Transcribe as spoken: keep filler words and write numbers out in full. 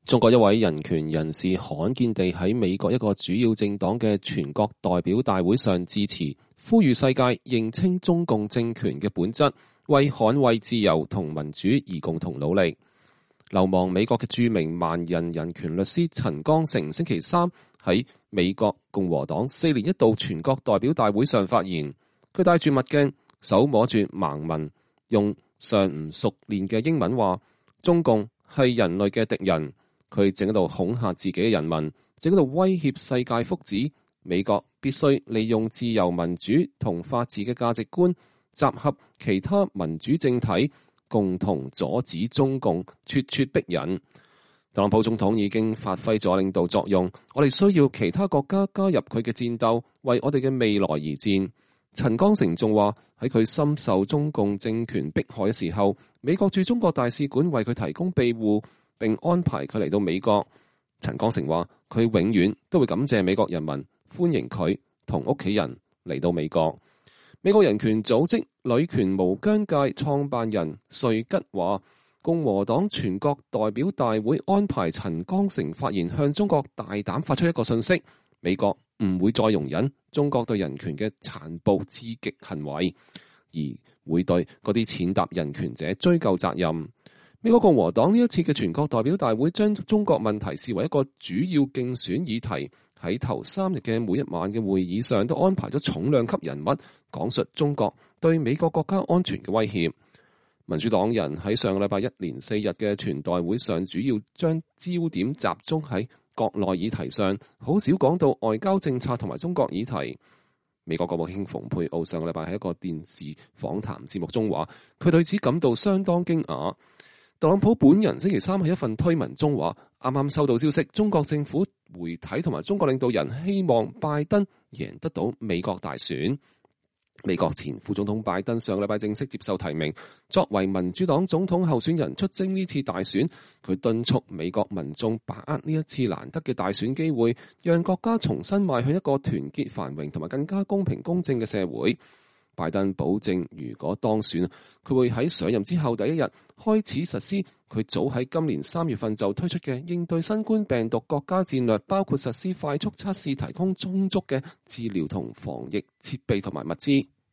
中國一位人權人士罕見地喺美國一個主要政黨嘅全國代表大會上致辭，呼籲世界認清中共政權嘅本質，為捍衛自由同民主而共同努力。流亡美國嘅著名萬人人權律師陳剛成星期三喺美國共和黨四年一度全國代表大會上發言，佢戴住墨鏡，手摸住盲文，用尚唔熟練嘅英文話：中共係人類嘅敵人。佢正喺度恐嚇自己嘅人民，正喺度威脅世界福祉。美國必須利用自由民主同法治嘅價值觀，集合其他民主政體，共同阻止中共咄咄逼人。特朗普總統已經發揮咗領導作用，我哋需要其他國家加入佢嘅戰鬥，為我哋嘅未來而戰。陳剛成仲話喺佢深受中共政權迫害嘅時候，美國駐中國大使館為佢提供庇護，並安排佢嚟到美國。陳剛成話佢永遠都會感謝美國人民歡迎佢同屋企人嚟到美國。美國人權組織女權無疆界創辦人瑞吉話，共和黨全國代表大會安排陳剛成發言，向中國大膽發出一個訊息：美國唔會再容忍中國對人權嘅殘暴至極行為，而會對嗰啲踐踏人權者追究責任。美國共和黨呢一次嘅全國代表大會將中國問題視為一個主要競選議題，喺頭三日嘅每一晚嘅會議上都安排咗重量級人物講述中國對美國國家安全嘅威脅。民主黨人喺上個禮拜一連四日嘅全代會上，主要將焦點集中喺國內議題上，好少講到外交政策同埋中國議題。美國國務卿蓬佩奧上個禮拜喺一個電視訪談節目中話，佢對此感到相當驚訝。特朗普本人星期三喺一份推文中話，啱啱收到消息，中國政府媒體同埋中國領導人希望拜登贏得到美國大選。美國前副總統拜登上個禮拜正式接受提名，作為民主黨總統候選人出征呢次大選。佢敦促美國民眾把握呢一次難得嘅大選機會，讓國家重新邁向一個團結繁榮同埋更加公平公正嘅社會。拜登保證，如果當選，佢會喺上任之後第一日開始實施佢早喺今年三月份就推出嘅應對新冠病毒國家戰略，包括實施快速測試、提供充足嘅治療同防疫設備同埋物資。